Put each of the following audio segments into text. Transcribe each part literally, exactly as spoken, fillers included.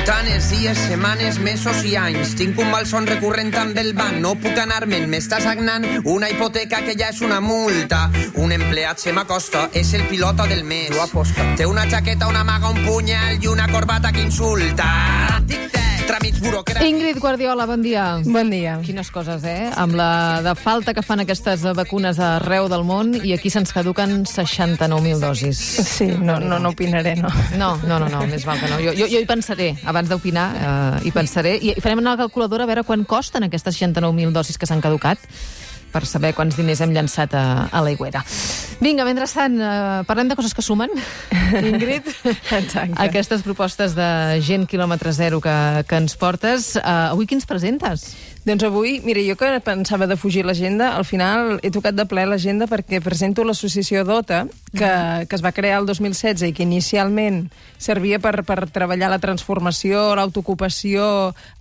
Comptant els dies, setmanes, mesos i anys. Tinc un malson recurrent amb el banc. No puc anar-me'n, m'està sagnant una hipoteca que ja és una multa. Un empleat se m'acosta, és el pilota del mes. Té una jaqueta, una maga, un punyal i una corbata que insulta. Tràmits burocràtics. Ingrid Guardiola, bon dia. Bon dia. Quines coses, eh? Amb la de falta que fan aquestes vacunes arreu del món i aquí se'ns caduquen seixanta-nou mil dosis. Sí, no, no, no opinaré, no. No, no, no, no, més val que no. Jo, jo, jo hi pensaré, abans d'opinar, eh, hi pensaré. I farem una calculadora a veure quan costen aquestes seixanta-nou mil dosis que s'han caducat, per saber quants diners hem llançat a, a l'aigüera. Vinga, mentrestant, eh, parlem de coses que sumen, Ingrid. Exacte. Aquestes propostes de gent quilòmetre zero que, que ens portes. Eh, avui quins presentes? Doncs avui, mira, jo que pensava de fugir l'agenda, al final he tocat de ple l'agenda perquè presento l'associació DOTA, que, que es va crear el dos mil setze i que inicialment servia per, per treballar la transformació, l'autoocupació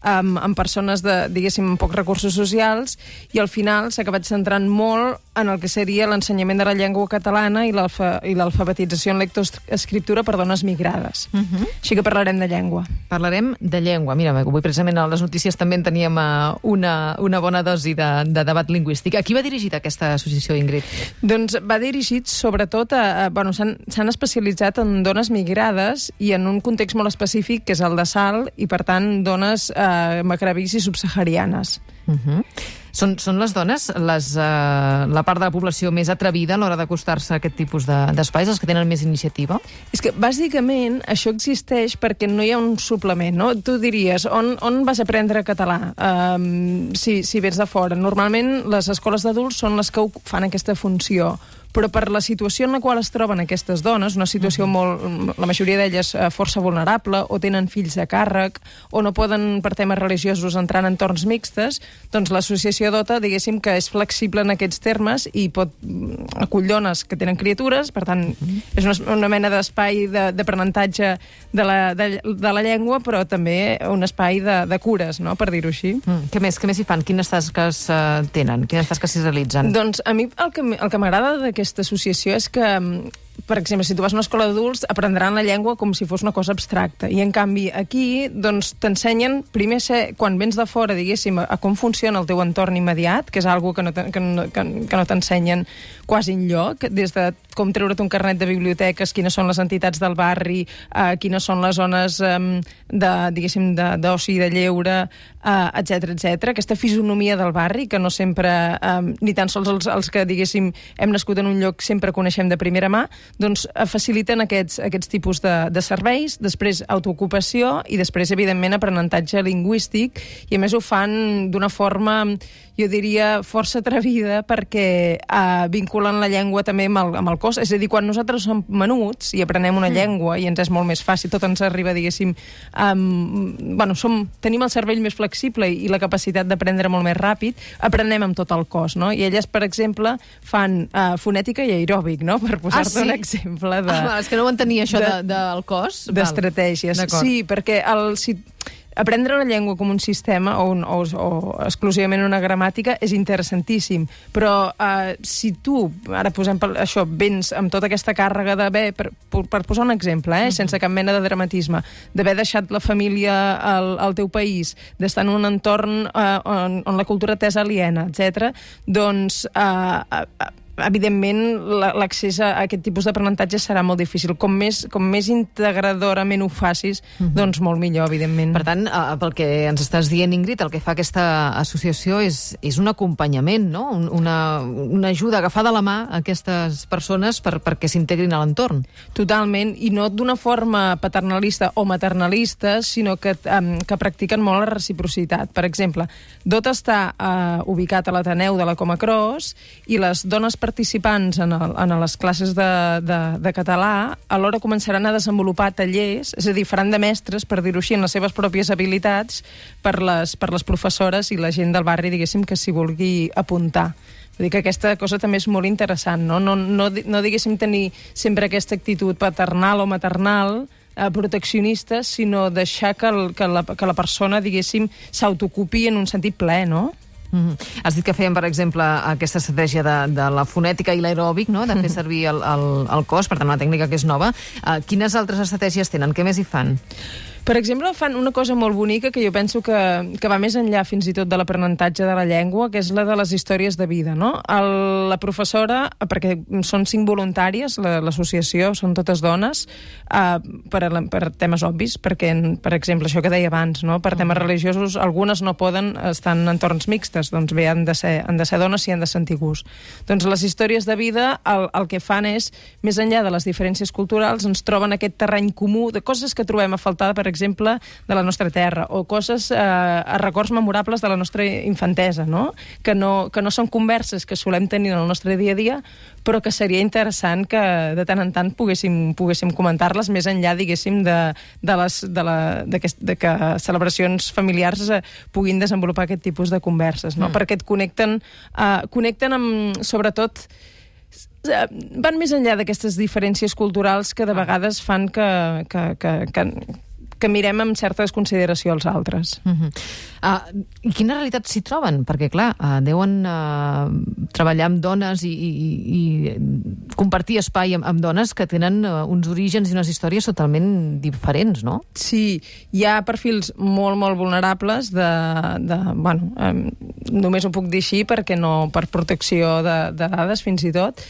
amb, amb persones de, diguéssim, amb pocs recursos socials, i al final s'ha acabat centrant molt en el que seria l'ensenyament de la llengua catalana i l'alfabetització en lectoescriptura per dones migrades. Uh -huh. Així que parlarem de llengua. Parlarem de llengua. Mira, avui precisament a les notícies també en teníem uh, una, una bona dosi de, de debat lingüístic. A qui va dirigida aquesta associació, Ingrid? Doncs va dirigit sobretot a... a bueno, s'han especialitzat en dones migrades i en un context molt específic, que és el de Salt, i per tant dones eh, macrabís i subsaharianes. Uh -huh. Són, són les dones les, uh, la part de la població més atrevida a l'hora d'acostar-se a aquest tipus d'espais, de, els que tenen més iniciativa? És que, bàsicament, això existeix perquè no hi ha un suplement, no? Tu diries, on, on vas aprendre català um, si, si vens de fora? Normalment, les escoles d'adults són les que fan aquesta funció, però per la situació en la qual es troben aquestes dones, una situació molt, la majoria d'elles força vulnerable, o tenen fills a càrrec, o no poden, per temes religiosos, entrar en entorns mixtes, doncs l'associació DOTA, diguéssim, que és flexible en aquests termes i pot acull dones que tenen criatures, per tant, és una, una mena d'espai d'aprenentatge de, la, de, de la llengua, però també un espai de, de cures, no?, per dir-ho així. Mm. Què més? Què més hi fan? Quines tasques uh, tenen? Quines tasques s'hi realitzen? Doncs a mi el que, el que m'agrada d'aquest aquesta associació és que, per exemple, si tu vas a una escola d'adults, aprendran la llengua com si fos una cosa abstracta. I, en canvi, aquí, doncs, t'ensenyen, primer, ser, quan vens de fora, diguéssim, a, a com funciona el teu entorn immediat, que és algo que no, que no, que, que no t'ensenyen quasi enlloc, des de com treure't un carnet de biblioteques, quines són les entitats del barri, eh, quines són les zones eh, de, diguéssim, d'oci i de lleure, eh, etcètera, etcètera. Aquesta fisonomia del barri, que no sempre, eh, ni tan sols els, els que, diguéssim, hem nascut en un lloc sempre coneixem de primera mà, doncs faciliten aquests, aquests tipus de, de serveis, després autoocupació i després, evidentment, aprenentatge lingüístic, i a més ho fan d'una forma, jo diria, força atrevida, perquè eh, vinculen la llengua també amb el, amb el cos. És a dir, quan nosaltres som menuts i aprenem una mm. llengua i ens és molt més fàcil, tot ens arriba, diguéssim, um, bueno, som, tenim el cervell més flexible i, i la capacitat d'aprendre molt més ràpid, aprenem amb tot el cos, no? I elles, per exemple, fan uh, fonètica i aeròbic, no?, per posar-te ah, sí? un exemple de... Ah, és que no ho entenia, això de, de, del cos. D'estratègies. Sí, perquè el... Si, aprendre una llengua com un sistema o, un, o, o exclusivament una gramàtica és interessantíssim, però eh, si tu, ara posem això, vens amb tota aquesta càrrega d'haver, per, per posar un exemple, eh, uh-huh. sense cap mena de dramatisme, d'haver deixat la família al, al teu país, d'estar en un entorn eh, on, on la cultura t'és aliena, etcètera, doncs... Eh, eh, evidentment, l'accés a aquest tipus d'aprenentatge serà molt difícil. Com més, com més integradorament ho facis, uh-huh. doncs molt millor, evidentment. Per tant, eh, pel que ens estàs dient, Ingrid, el que fa aquesta associació és, és un acompanyament, no? Una, una ajuda, agafar de la mà a aquestes persones per, perquè s'integrin a l'entorn. Totalment, i no d'una forma paternalista o maternalista, sinó que, um, que practiquen molt la reciprocitat. Per exemple, DOTA està uh, ubicat a l'Ateneu de la Coma Cros i les dones participants en, el, en les classes de, de, de català alhora començaran a desenvolupar tallers, és a dir, faran de mestres, per dir-ho així, en les seves pròpies habilitats per les, per les professores i la gent del barri, diguéssim, que s'hi vulgui apuntar. Vull dir que aquesta cosa també és molt interessant, no? No, no, no diguéssim tenir sempre aquesta actitud paternal o maternal, eh, proteccionista, sinó deixar que, el, que, la, que la persona, diguéssim, s'autocupi en un sentit ple, no? Mm-hmm. Has dit que feien, per exemple, aquesta estratègia de, de la fonètica i l'aeròbic, no? De fer servir el, el, el cos, per tant, una tècnica que és nova. Uh, quines altres estratègies tenen? Què més hi fan? Per exemple, fan una cosa molt bonica que jo penso que, que va més enllà fins i tot de l'aprenentatge de la llengua, que és la de les històries de vida, no? El, la professora, perquè són cinc voluntàries, l'associació, són totes dones, eh, per, per temes obvis, perquè, per exemple, això que deia abans, no? Per temes religiosos, algunes no poden estar en entorns mixtes, doncs bé, han de ser, han de ser dones i han de sentir gust. Doncs les històries de vida el, el que fan és, més enllà de les diferències culturals, ens troben aquest terreny comú de coses que trobem a faltar, per exemple, de la nostra terra, o coses, eh, records memorables de la nostra infantesa, no? Que, no, que no són converses que solem tenir en el nostre dia a dia, però que seria interessant que de tant en tant poguéssim, poguéssim comentar-les més enllà, diguéssim, de, de, les, de, la, de, que, de que celebracions familiars eh, puguin desenvolupar aquest tipus de converses, no? Mm. Perquè et connecten, eh, connecten amb, sobretot, van més enllà d'aquestes diferències culturals que de vegades fan que, que, que, que, que mirem amb certa desconsideració als altres. Uh-huh. Uh, I quina realitat s'hi troben? Perquè, clar, uh, deuen uh, treballar amb dones i, i, i compartir espai amb, amb dones que tenen uh, uns orígens i unes històries totalment diferents, no? Sí, hi ha perfils molt, molt vulnerables de... de bueno, um, només ho puc dir així perquè no, per protecció de, de dades, fins i tot,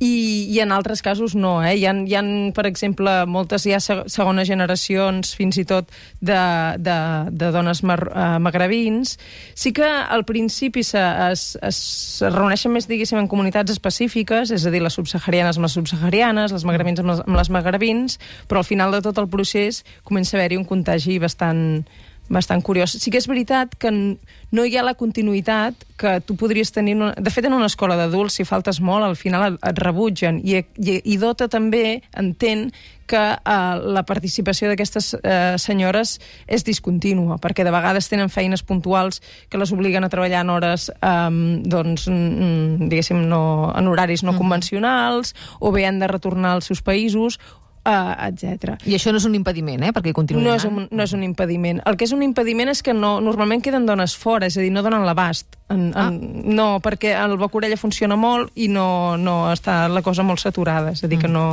i, i en altres casos no, eh? Hi ha, hi ha, per exemple, moltes ja segones generacions, fins i tot, de, de, de dones mar, uh, magrebins. Sí que al principi se, es, es reuneixen més, diguéssim, en comunitats específiques, és a dir, les subsaharianes amb les subsaharianes, les magrebins amb les, amb les magrebins, però al final de tot el procés comença a haver-hi un contagi bastant... bastant curiós. Sí que és veritat que no hi ha la continuïtat que tu podries tenir... Una... De fet, en una escola d'adults, si faltes molt, al final et rebutgen. I, i, i Dota també entén que eh, la participació d'aquestes eh, senyores és discontínua, perquè de vegades tenen feines puntuals que les obliguen a treballar en hores, eh, doncs, mm, diguéssim, no, en horaris no convencionals, o bé han de retornar als seus països, Uh, etcètera. I això no és un impediment, eh? Perquè continuïn no és, un, no és un impediment. El que és un impediment és que no, normalment queden dones fora, és a dir, no donen l'abast. En, en, ah. No, perquè el boc-orella funciona molt i no, no està la cosa molt saturada, és a dir, mm. que no...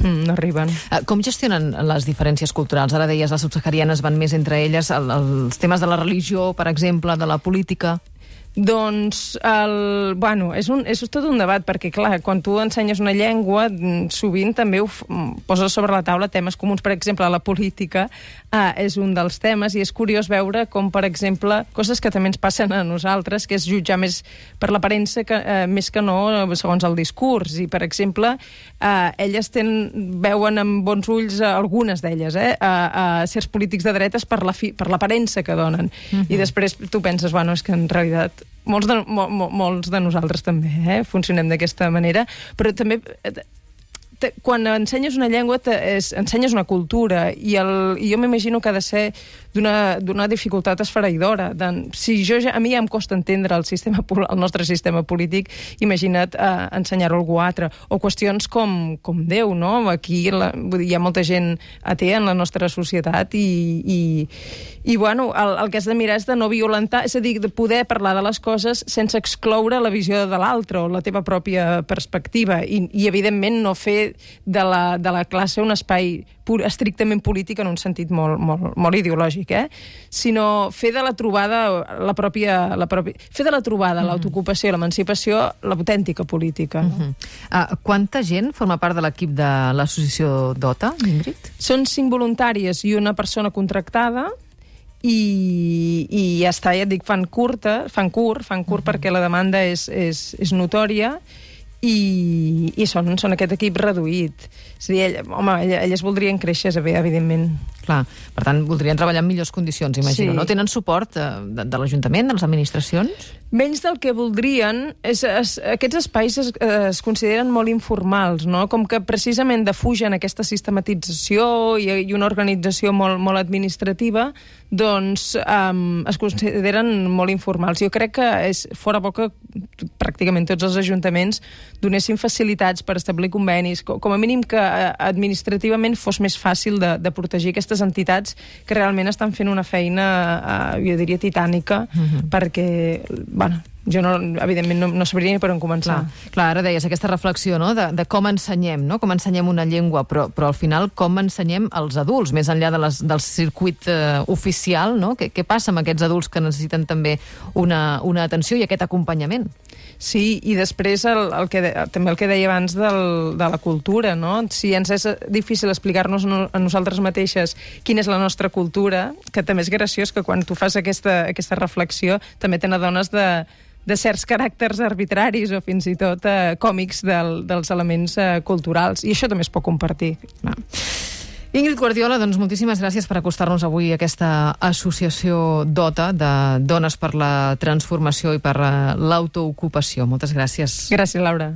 no arriben. Com gestionen les diferències culturals? Ara deies, les subsaharianes van més entre elles, el, els temes de la religió, per exemple, de la política... Doncs, el, bueno, és, un, és tot un debat, perquè, clar, quan tu ensenyes una llengua, sovint també ho poses sobre la taula temes comuns. Per exemple, la política eh, és un dels temes, i és curiós veure com, per exemple, coses que també ens passen a nosaltres, que és jutjar més per l'aparença que, eh, més que no segons el discurs. I, per exemple, eh, elles tenen, veuen amb bons ulls, eh, algunes d'elles, eh, a, a certs polítics de dretes per l'aparença que donen. Uh-huh. I després tu penses, bueno, és que en realitat molts de, mo, mo, molts de nosaltres també eh, funcionem d'aquesta manera, però també te, quan ensenyes una llengua te, és, ensenyes una cultura, i, el, i jo m'imagino que ha de ser d'una dificultat esfereïdora. De, si jo ja, a mi ja em costa entendre el, sistema, el nostre sistema polític, imagina't eh, ensenyar-ho a algú altre. O qüestions com, com Déu, no? Aquí la, vull dir, hi ha molta gent atea en la nostra societat i, i, i bueno, el, el que has de mirar és de no violentar, és a dir, de poder parlar de les coses sense excloure la visió de l'altre o la teva pròpia perspectiva, i, i evidentment no fer de la, de la classe un espai pur, estrictament polític en un sentit molt, molt, molt ideològic, eh? Sinó fer de la trobada la pròpia, la pròpia fer de la trobada, mm-hmm. l'autoocupació, l'emancipació, l'autèntica política. No? Mm-hmm. uh, quanta gent forma part de l'equip de l'associació Dota, Ingrid? Són cinc voluntàries i una persona contractada, i, i ja està, ja et dic, fan curta, fan curt, fan curt mm-hmm. perquè la demanda és, és, és notòria, i, i són, són aquest equip reduït. És a dir, ell, home, elles voldrien créixer, evidentment. Clar, per tant, voldrien treballar en millors condicions, imagino, sí. No? Tenen suport de, de l'Ajuntament, de les administracions? Menys del que voldrien. És, és, aquests espais es, es consideren molt informals, no? Com que precisament defugen aquesta sistematització i, i una organització molt, molt administrativa, doncs um, es consideren molt informals. Jo crec que és fora bo que pràcticament tots els ajuntaments donessin facilitats per establir convenis, com a mínim que administrativament fos més fàcil de, de protegir aquestes entitats que realment estan fent una feina, uh, jo diria, titànica, uh-huh. perquè, bueno, jo, no, evidentment, no, no sabria ni per on començar. Clar, clar, ara deies aquesta reflexió, no?, de, de com ensenyem, no?, com ensenyem una llengua, però, però al final com ensenyem als adults, més enllà de les, del circuit eh, oficial, no? Què, què passa amb aquests adults que necessiten també una, una atenció i aquest acompanyament? Sí, i després el, el que de, també el que deia abans del, de la cultura, no? Si ens és difícil explicar-nos a nosaltres mateixes quina és la nostra cultura, que també és graciós que quan tu fas aquesta, aquesta reflexió també te n'adones de, de certs caràcters arbitraris o fins i tot eh, còmics del, dels elements eh, culturals, i això també es pot compartir. Ah. Ingrid Guardiola, doncs moltíssimes gràcies per acostar-nos avui a aquesta associació DOTA, de Dones per la Transformació i per l'autoocupació. Moltes gràcies. Gràcies, Laura.